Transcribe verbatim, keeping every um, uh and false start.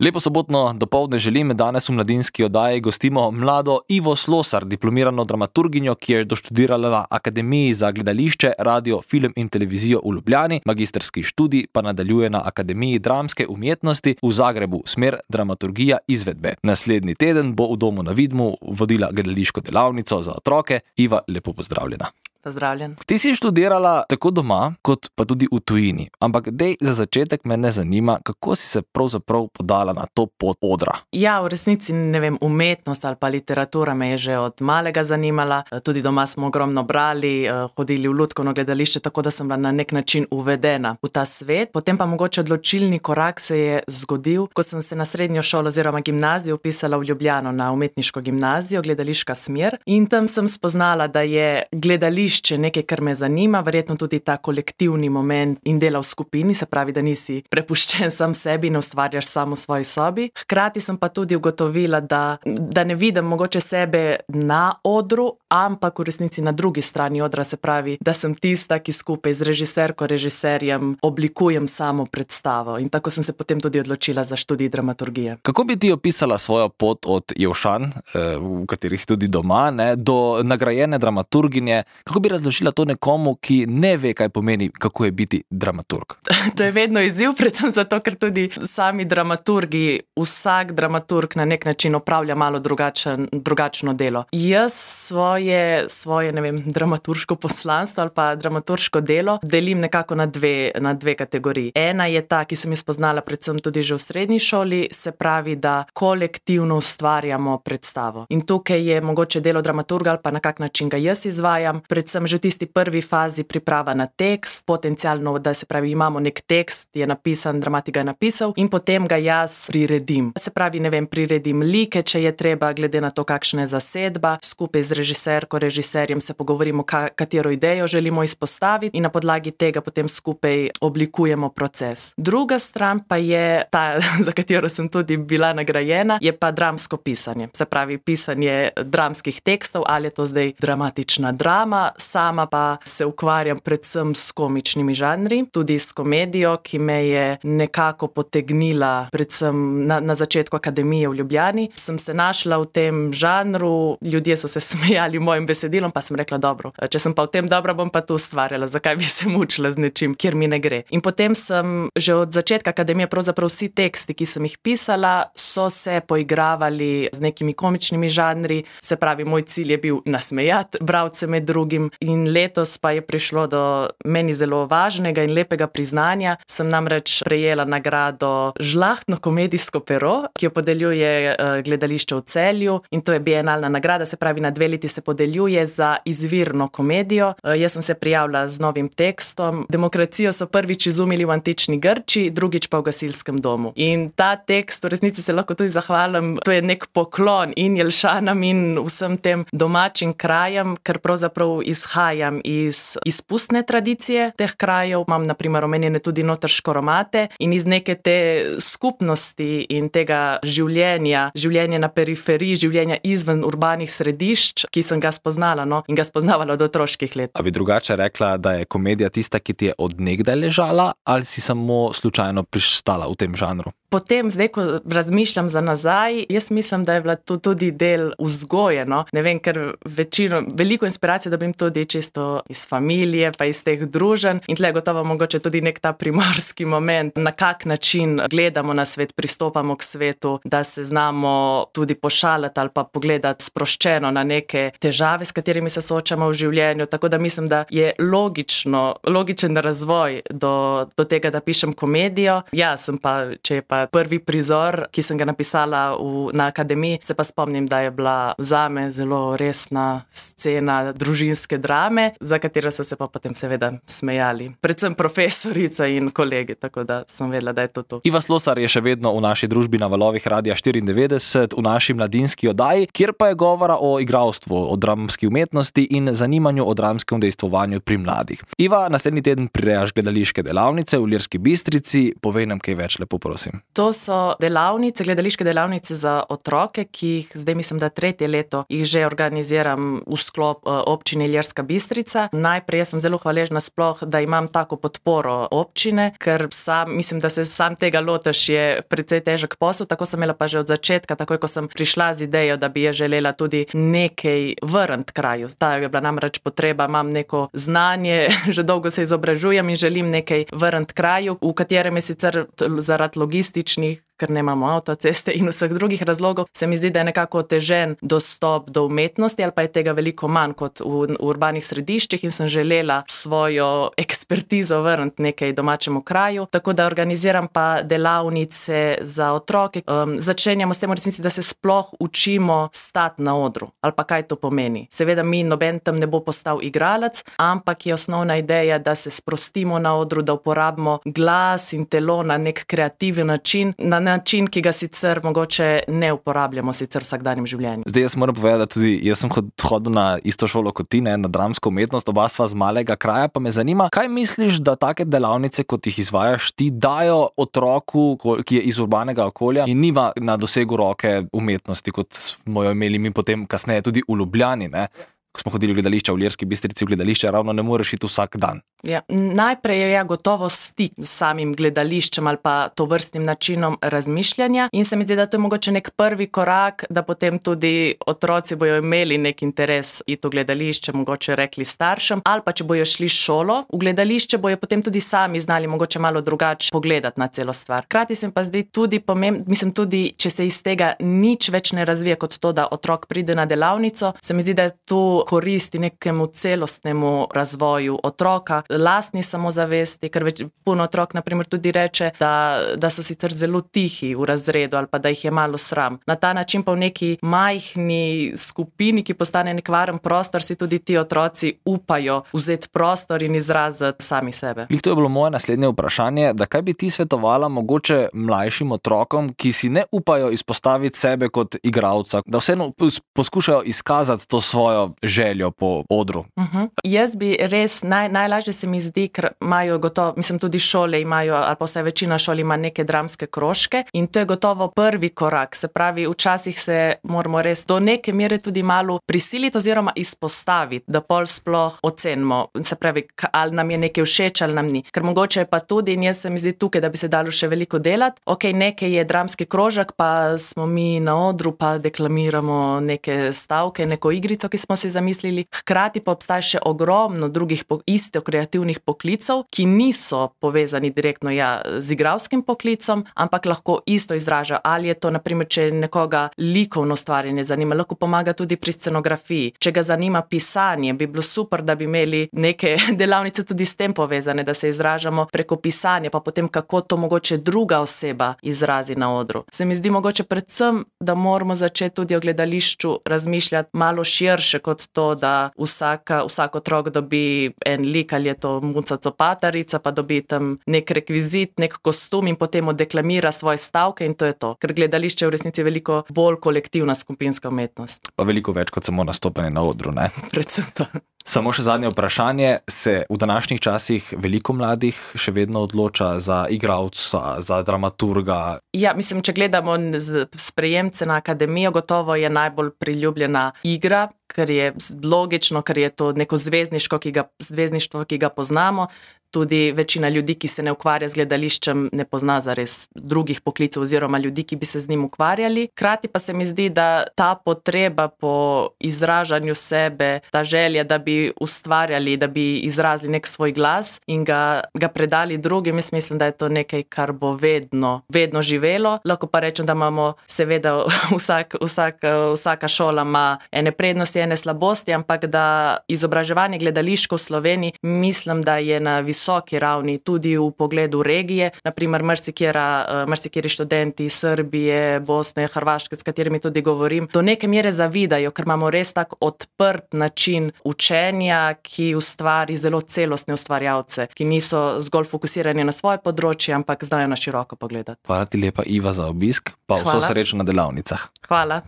Lepo sobotno dopoldne želim, danes v mladinski oddaji gostimo mlado Ivo Slosar, diplomirano dramaturginjo, ki je doštudirala na Akademiji za gledališče, radio, film in televizijo v Ljubljani, magistrski študij pa nadaljuje na Akademiji dramske umetnosti v Zagrebu, smer dramaturgija izvedbe. Naslednji teden bo v Domu na Vidmu vodila gledališko delavnico za otroke. Iva, lepo pozdravljena. Pozdravljen. Ti si študirala tako doma, kot pa tudi v tujini. Ampak dej, za začetek mene zanima, kako si se pravzaprav podala na to pot odra? Ja, v resnici, ne vem, umetnost ali pa literatura me je že od malega zanimala. Tudi doma smo ogromno brali, hodili v lutkovno gledališče, tako da sem bila na nek način uvedena v ta svet. Potem pa mogoče odločilni korak se je zgodil, ko sem se na srednjo šolo oziroma gimnazijo vpisala v Ljubljano na umetniško gimnazijo, gledališka smer. In tam sem spoznala, da je gledališče nekaj, kar me zanima, verjetno tudi ta kolektivni moment in dela v skupini, se pravi, da nisi prepuščen sam sebi in ustvarjaš samo v svoji sobi. Hkrati sem pa tudi ugotovila, da, da ne vidim mogoče sebe na odru, ampak v resnici na drugi strani odra, se pravi, da sem tista, ki skupaj z režiserko, režiserjem oblikujem samo predstavo. In tako sem se potem tudi odločila za študij dramaturgije. Kako bi ti opisala svojo pot od Jevšan, v kateri si tudi doma, ne, do nagrajene dramaturginje? Kako bi razložila to nekomu, ki ne ve, kaj pomeni, kako je biti dramaturg? To je vedno izziv, predvsem zato, ker tudi sami dramaturgi, vsak dramaturg na nek način opravlja malo drugačen, drugačno delo. Jaz svoje, svoje, ne vem, dramaturško poslanstvo ali pa dramaturško delo delim nekako na dve, na dve kategoriji. Ena je ta, ki sem jo spoznala predvsem tudi že v srednji šoli, se pravi, da kolektivno ustvarjamo predstavo. In tukaj je mogoče delo dramaturga ali pa na kak način ga jaz izvajam, predvsem že v tisti prvi fazi priprava na tekst, potencialno, da se pravi, imamo nek tekst, je napisan, dramatik ga je napisal in potem ga jaz priredim. Se pravi, ne vem, priredim like, če je treba, glede na to, kakšna je zasedba, skupaj z režiserko, režiserjem se pogovorimo, ka, katero idejo želimo izpostaviti in na podlagi tega potem skupaj oblikujemo proces. Druga stran pa je ta, za katero sem tudi bila nagrajena, je pa dramsko pisanje. Se pravi, pisanje dramskih tekstov, ali je to zdaj dramatična drama, sama pa se ukvarjam predvsem s komičnimi žanri, tudi s komedijo, ki me je nekako potegnila predvsem na, na začetku akademije v Ljubljani. Sem se našla v tem žanru, ljudje so se smejali mojim besedilom, pa sem rekla, dobro, če sem pa v tem dobra, bom pa tu ustvarjala, zakaj bi se mučila z nečim, kjer mi ne gre. In potem sem že od začetka akademije, pravzaprav vsi teksti, ki sem jih pisala, so se poigravali z nekimi komičnimi žanri, se pravi, moj cilj je bil nasmejati bralce med drugim. In letos pa je prišlo do meni zelo važnega in lepega priznanja. Sem namreč prejela nagrado Žlahtno komedijsko pero, ki jo podeljuje gledališče v Celju, in to je bienalna nagrada, se pravi, na dve leti se podeljuje za izvirno komedijo. Jaz sem se prijavila z novim tekstom. Demokracijo so prvič izumili v antični Grčiji, drugič pa v gasilskem domu. In ta tekst, v resnici se lahko tudi zahvalim, to je nek poklon in Jelšanam in vsem tem domačim krajem, ker pravzaprav izhajam iz izpustne tradicije teh krajev, imam na primer omenjene tudi noter škoromate in iz neke te skupnosti in tega življenja, življenja na periferiji, življenja izven urbanih središč, ki sem ga spoznala, no, in ga spoznavala od otroških let. A bi drugače rekla, da je komedija tista, ki ti je od nekdaj ležala, ali si samo slučajno pristala v tem žanru? Potem, zdaj, ko razmišljam za nazaj, jaz mislim, da je bila to tudi del vzgoje, no. Ne vem, ker večino, veliko inspiracije dobim tudi čisto iz familije, pa iz teh druženj in tle gotovo mogoče tudi nek ta primorski moment, na kak način gledamo na svet, pristopamo k svetu, da se znamo tudi pošaliti ali pa pogledati sproščeno na neke težave, s katerimi se soočamo v življenju, tako da mislim, da je logično, logičen razvoj do, do tega, da pišem komedijo. Ja, sem pa, če je pa prvi prizor, ki sem ga napisala v, na akademiji, se pa spomnim, da je bila zame zelo resna scena družinske drame, za katero so se pa potem seveda smejali. Predvsem profesorica in kolegi, tako da sem vedela, da je to to. Iva Slosar je še vedno v naši družbi na valovih Radia štiriindevetdeset, v naši mladinski oddaji, kjer pa je govora o igralstvu, o dramski umetnosti in zanimanju o dramskem udejstvovanju pri mladih. Iva, naslednji teden prirejaš gledališke delavnice v Ilirski Bistrici, povej nam kaj več, lepo prosim. To so delavnice, gledališke delavnice za otroke, ki jih zdaj mislim, da tretje leto jih že organiziram v sklop občine Ilirska Bistrica. Najprej sem zelo hvaležna sploh, da imam tako podporo občine, ker sam, mislim, da se sam tega lotiš, je precej težek posel, tako sem imela pa že od začetka, takoj ko sem prišla z idejo, da bi je želela tudi nekaj vrniti kraju. Ta je bila namreč potreba, imam neko znanje, že dolgo se izobražujem in želim nekaj vrniti kraju, v katerem je sicer zaradi logističnih, ker nemamo avtoceste in vseh drugih razlogov, se mi zdi, da je nekako otežen dostop do umetnosti ali pa je tega veliko manj kot v, v urbanih središčih in sem želela svojo ekspertizo vrniti nekaj domačemu kraju, tako da organiziram pa delavnice za otroke. Um, začenjamo s tem v resnici, da se sploh učimo stati na odru ali pa kaj to pomeni. Seveda mi noben tam ne bo postal igralec, ampak je osnovna ideja, da se sprostimo na odru, da uporabimo glas in telo na nek kreativen način, na način, ki ga sicer mogoče ne uporabljamo sicer v vsakdanjem življenju. Zdaj jaz moram povedati, da tudi jaz sem hodil na isto šolo kot ti, ne, na dramsko umetnost, oba sva z malega kraja, pa me zanima, kaj misliš, da take delavnice, kot jih izvajaš, ti dajo otroku, ki je iz urbanega okolja in nima na dosegu roke umetnosti, kot smo jo imeli mi potem kasneje tudi v Ljubljani, ne? Ko smo hodili v gledališča v Ilirski Bistrici, v gledališče ravno ne moreš iti vsak dan. Ja, najprej je ja gotovo stik s samim gledališčem ali pa tovrstnim načinom razmišljanja in se mi zdi, da to je mogoče nek prvi korak, da potem tudi otroci bojo imeli nek interes iti v gledališče, mogoče rekli staršem, ali pa če bojo šli šolo v gledališče, bojo potem tudi sami znali mogoče malo drugače pogledati na celo stvar. Hkrati se mi pa zdi tudi pomembno, mislim tudi, če se iz tega nič več ne razvije kot to, da otrok pride na delavnico, se mi zdi, da je to koristi nekemu celostnemu razvoju otroka, lastni samozavesti, ker več, puno otrok naprimer tudi reče, da, da so sicer zelo tihi v razredu ali pa da jih je malo sram. Na ta način pa v neki majhni skupini, ki postane nek varen prostor, si tudi ti otroci upajo vzeti prostor in izraziti sami sebe. Lih, to je bilo moje naslednje vprašanje, da kaj bi ti svetovala mogoče mlajšim otrokom, ki si ne upajo izpostaviti sebe kot igralca, da vseeno poskušajo izkazati to svojo željo po odru. Uh-huh. Jaz bi res, naj, najlažje se mi zdi, ker imajo gotovo, mislim tudi šole imajo, ali pa vsaj večina šol ima neke dramske krožke in to je gotovo prvi korak. Se pravi, včasih se moramo res do neke mere tudi malo prisiliti oziroma izpostaviti, da pol sploh ocenimo. Se pravi, ali nam je nekaj všeč ali nam ni. Ker mogoče je pa tudi, in jaz se mi zdi tukaj, da bi se dalo še veliko delati. Ok, nekaj je dramski krožek, pa smo mi na odru, pa deklamiramo neke stavke, neko igrico, ki smo si zamislili. Hkrati pa obstaja še ogromno drugih po, isto kreativnih poklicov, ki niso povezani direktno ja, z igralskim poklicom, ampak lahko isto izražajo. Ali je to, naprimer, če nekoga likovno stvarjenje zanima, lahko pomaga tudi pri scenografiji. Če ga zanima pisanje, bi bilo super, da bi imeli neke delavnice tudi s tem povezane, da se izražamo preko pisanja, pa potem kako to mogoče druga oseba izrazi na odru. Se mi zdi mogoče predvsem, da moramo začeti tudi o gledališču razmišljati malo širše kot to, da vsaka, vsak otrok dobi en lik, ali je to Muca Copatarica, pa dobi tam nek rekvizit, nek kostum in potem odeklamira svoje stavke in to je to. Ker gledališče je v resnici veliko bolj kolektivna skupinska umetnost. Pa veliko več kot samo nastopanje na odru, ne? Predvsem to. Samo še zadnje vprašanje, se v današnjih časih veliko mladih še vedno odloča za igralca, za dramaturga? Ja, mislim, če gledamo sprejemce na akademijo, gotovo je najbolj priljubljena igra, ker je logično, ker je to neko zvezdniško, ki ga, zvezdništvo, ki ga poznamo. Tudi večina ljudi, ki se ne ukvarja z gledališčem, ne pozna zares drugih poklicov oziroma ljudi, ki bi se z njim ukvarjali. Hkrati pa se mi zdi, da ta potreba po izražanju sebe, ta želja, da bi ustvarjali, da bi izrazili nek svoj glas in ga, ga predali drugim, jaz mislim, da je to nekaj, kar bo vedno, vedno živelo. Lahko pa rečem, da imamo seveda vsak, vsak, vsaka šola ima ene prednosti, ene slabosti, ampak da izobraževanje gledališko v Sloveniji mislim, da je na visoki ravni tudi v pogledu regije. Naprimer, marsikeri študenti iz Srbije, Bosne, Hrvaške, s katerimi tudi govorim, do neke mere zavidajo, ker imamo res tak odprt način učenja, ki ustvari zelo celostne ustvarjalce, ki niso zgolj fokusirani na svoje področje, ampak znajo na široko pogledati. Hvala ti lepa, Iva, za obisk, pa vso Hvala. Srečo na delavnicah. Hvala.